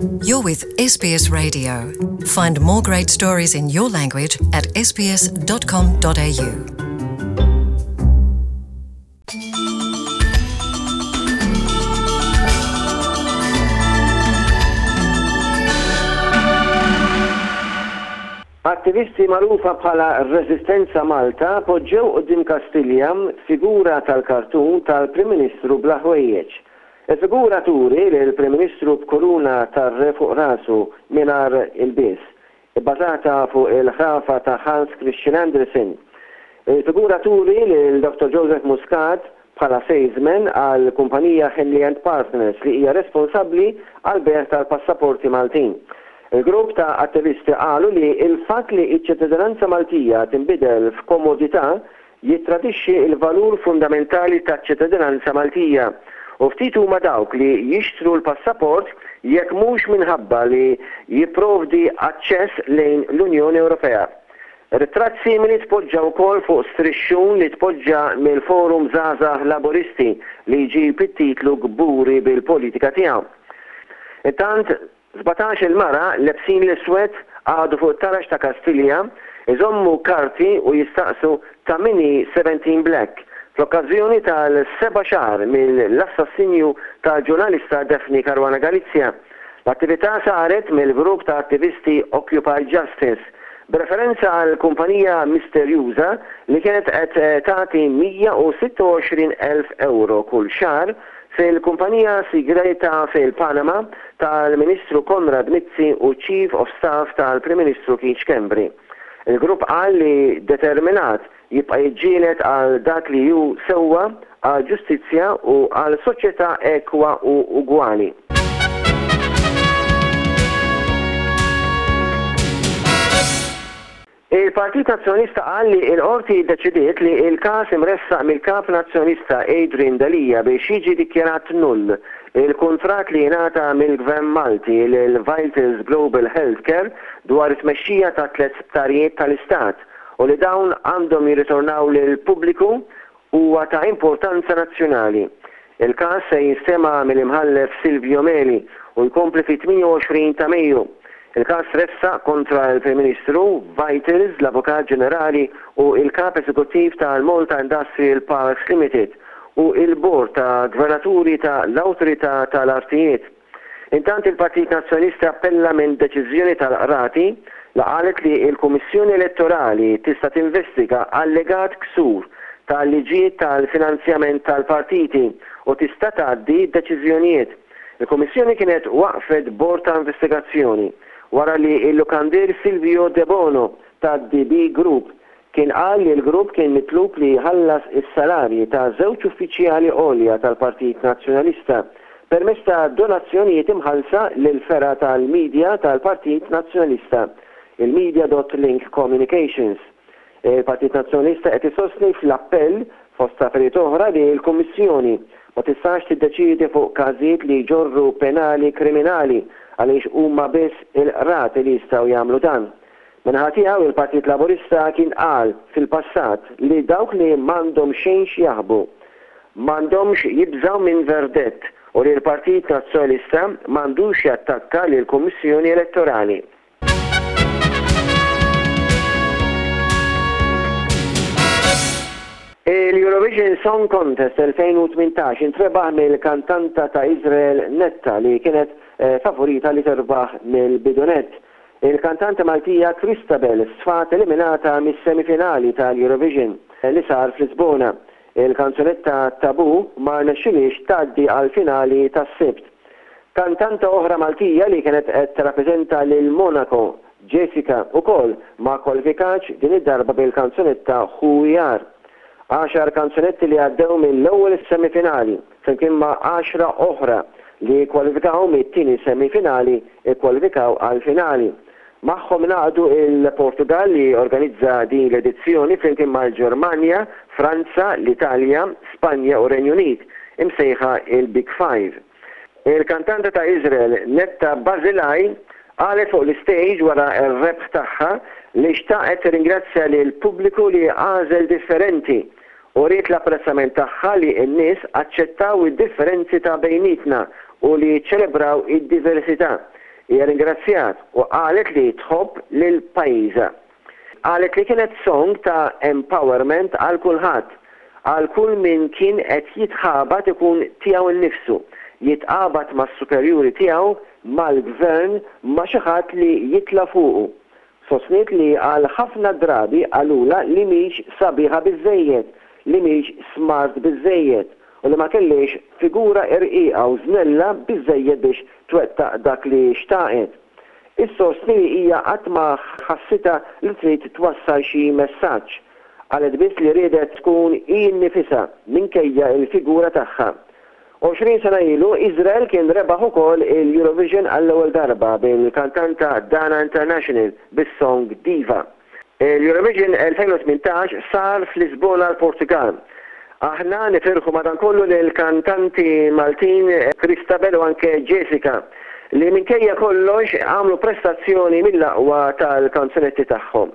You're with SBS Radio. Find more great stories in your language at sbs.com.au. Attivisti magħrufa bħala Resistenza Malta poġġew quddiem Kastilja figura tal-kartun tal-Prim Ministru bla ħwejjeġ. Il-figura turi lill-Prim Ministru b'kuruna tar-re fuq rasu mingħajr ilbies, ibbażata fuq il-ħrafa ta' Hans Christian Andersen. Il-figura turi lil Dottor Joseph Muscat bħala salesman għall-kumpanija Henley and Partners li hija responsabbli għall-bejgħ tal-passaporti Maltin. Il-grupp ta' attivisti qalu li l-fatt li ċ-ċittadinanza Maltija tinbidel f'komodità jittradixxi l-valur fundamentali taċ-ċittadinanza Maltija u ftit huma dawk li jixtru l-passaport jekk mhux minħabba li jipprovdi aċċess lejn l-Unjoni Ewropea. Ritratt simili tpoġġa wkoll fuq strixxun li tpoġġa mill-Forum Żgħażagħ Laburisti li jġib it-titlu Kburi bil-politika tiegħu. Intant, 17-il mara lebsin l-iswed qagħdu fuq it-taraġ ta' Kastilja iżommu karti u jistaqsu ta' min hi 17 Black fl-okkażjoni tal-seba' xahar mill-assassinju tal-ġurnalista Daphne Caruana Galizia. L-attività saret mill-grupp ta' attivisti Occupy Justice b'referenza għal kumpanija misterjuża li kienet qed tagħti 126,000 ewro kull xahar fil-kumpanija sigreta fil-Panama tal-Ministru Konrad Mizzi u Chief of Staff tal-Prim Ministru Keith Schembri. Il-grupp qal li determinat jibqa' jiġġieled għal dak li hu sewwa, għall-ġustizzja u għal soċjetà ekwa u ugwali. Il-Partit Nazzjonalista qal li l-Qorti ddeċidiet li l-każ imressaq mill-Kap Nazzjonalista Adrian Delia biex jiġi dikjarat null il-kuntratt li ingħata mill-Gvern Malti lil Vitals Global Healthcare dwar it-tmexxija ta' tlett sptarijiet tal-Istat u li dawn għandhom jirritornaw lill-pubbliku huwa ta' importanza nazzjonali. Il-każ se jinstema' mill-Imħallef Silvio Meli u jkompli fit-28 ta' Mejju. Il-każ tressaq kontra l-Prim Ministru, Vitals, l-Avukat Ġenerali u l-Kap Eżekuttiv tal-Malta Industrial Parks Limited u l-Bord ta' Gvernaturi ta' l-Awtorità tal-Artijiet. Intant il-Partit Nazzjonalista appella minn deċiżjoni tal-Qrati li qalet li l-Kummissjoni Elettorali tista' tinvestiga allegat ksur tal-liġijiet tal-finanzjament tal-partiti u tista' tgħaddi deċiżjonijiet. Il-Kummissjoni kienet waqqfet bord ta' investigazzjoni wara li l-lukandier Silvio Debono tad-DB Group Kien qal li l-grupp kien mitlub li jħallas is-salarji ta' żewġ uffiċjali għolja tal-Partit Nazzjonalista permezz ta' donazzjonijiet imħallsa lill-fergħa tal-media tal-Partit Nazzjonalista, il-Media dot Link Communications. Il-Partit Nazzjonalista qed isostni fl-appell, fost affarijiet oħra, li l-Kummissjoni ma tistax tiddeċiedi fuq każijiet li jġorru penali kriminali għaliex huma biss il-qrati li jistgħu jagħmlu dan. Min-naħa tiegħu, il-Partit Laburista kien qal fil-passat li dawk li m'għandhom xejn x'jaħbu, m'għandhomx jibżgħu minn verdett u li l-Partit Nazzjonalista m'għandux jattakka lill-Kummissjoni Elettorali. Il-Eurovision Song Contest 2018 intrebaħ mill-kantanta ta' Iżrael Netta li kienet favorita li terbaħ mill-bidu nett. Il-kantanta Maltija Christabel sfat eliminata mis-semifinali tal-Eurovision li sar f'Lisbona. Il-kanzunetta Taboo ma rnexxilhiex tgħaddi għall-finali tas-Sibt. Kantanta oħra Maltija li kienet qed tirrappreżenta lil Monaco, Jessica, ukoll ma kkwalifikatx din id-darba bil-kanzunetta Who We Are. Għaxar kanzunetti li għaddew mill-ewwel semifinali, flimkien ma' għaxra oħra li kkwalifikaw mit-tieni semifinali kkwalifikaw għall-finali. Magħhom ingħaqdu l-Portugall li organizza din l-edizzjoni flimkien mal-Ġermanja, Franza, l-Italja, Spanja u Renju Unit, imsejħa il-Big Five. Il-kantanta ta' Iżrael Netta Barzilai qalet fuq l-istage wara r-rebħ tagħha li xtaqet tirringrazzja lill-pubbliku li għażel differenti u wriet l-apprezzament tagħha li n-nies aċċettaw id-differenzi ta' bejnietna u li ċċelebraw id-diversità. Hija ringrazzjat u qalet li tħobb lil pajjiżha. Qalet li kienet song ta' empowerment għal kulħadd, għal kull min kien qed jitħabat ikun tiegħu nnifsu, jitqabad mas-superjuri tiegħu, mal-gvern, ma' xi ħadd li jitla' fuqu. Sostniet li għal ħafna drabi qalulha li mhix sabiħa biżżejjed, li mhix smart biżżejjed u li ma kellhiex figura irqiqa u żnella biżżejjed biex twettaq dak li xtaqet. Issostni li hija qatt ma ħassitha li trid twassal xi messaġġ. Qalet biss li riedet tkun hi nnifisha minkejja l-figura tagħha. 20 sena ilu, Iżrael kien rebaħ ukoll il-Eurovision għall-ewwel darba bil-kantanta Dana International bis-song Diva. Il-Eurovision 2018 sar f'Lisbona l-Portugall. Aħna nifirħu madankollu lill-kantanti Maltin Christabel u anke Jessica li minkejja kollox għamlu prestazzjoni mill-aqwa tal-kanzunetti tagħhom.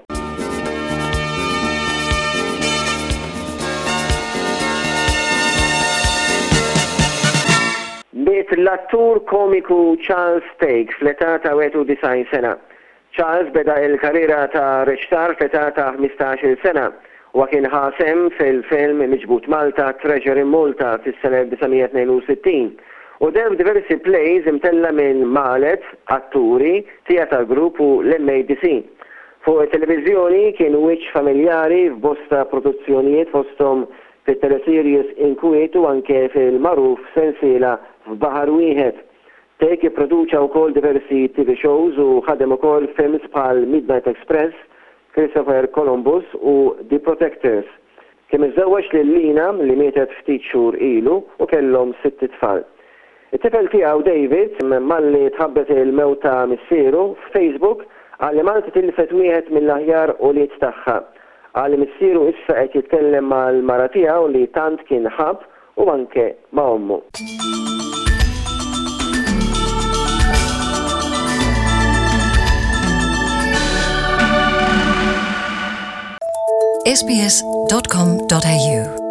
Miet l-attur komiku Charles Thake fl-età ta' 91 sena. Charles beda l-karriera ta' reċtar fl-età ta' 15-il sena. Huwa kien ħa sehem fil-film Miġbud Malta, Treasure in Malta fis-sena 1962 u deher f'diversi plays imtella' minn Malet, Atturi, Theatre Group u l-MADC. Fuq it-televiżjoni kien wiċċ familjari f'bosta produzzjonijiet fosthom fit-teleseries Inkwiet u anke fil-magħruf sensiela F'Baħar Wieħed. Thake ipproduċa wkoll diversi TV shows u ħadem ukoll f'films bħal Midnight Express, Christopher Columbus u The Protectors. Kien miżżewweġ lil Lina li mietet ftit xhur ilu u kellhom sitt itfal. It-tifel tiegħu David, malli tħabbret il-mewt ta' missieru, f'Facebook qal li Malta tilfet wieħed mill-aħjar ulied tagħha. Qal li missieru issa qed jitkellem mal-mara tiegħu li tant kien ħabb u anke ma' ommu. sbs.com.au.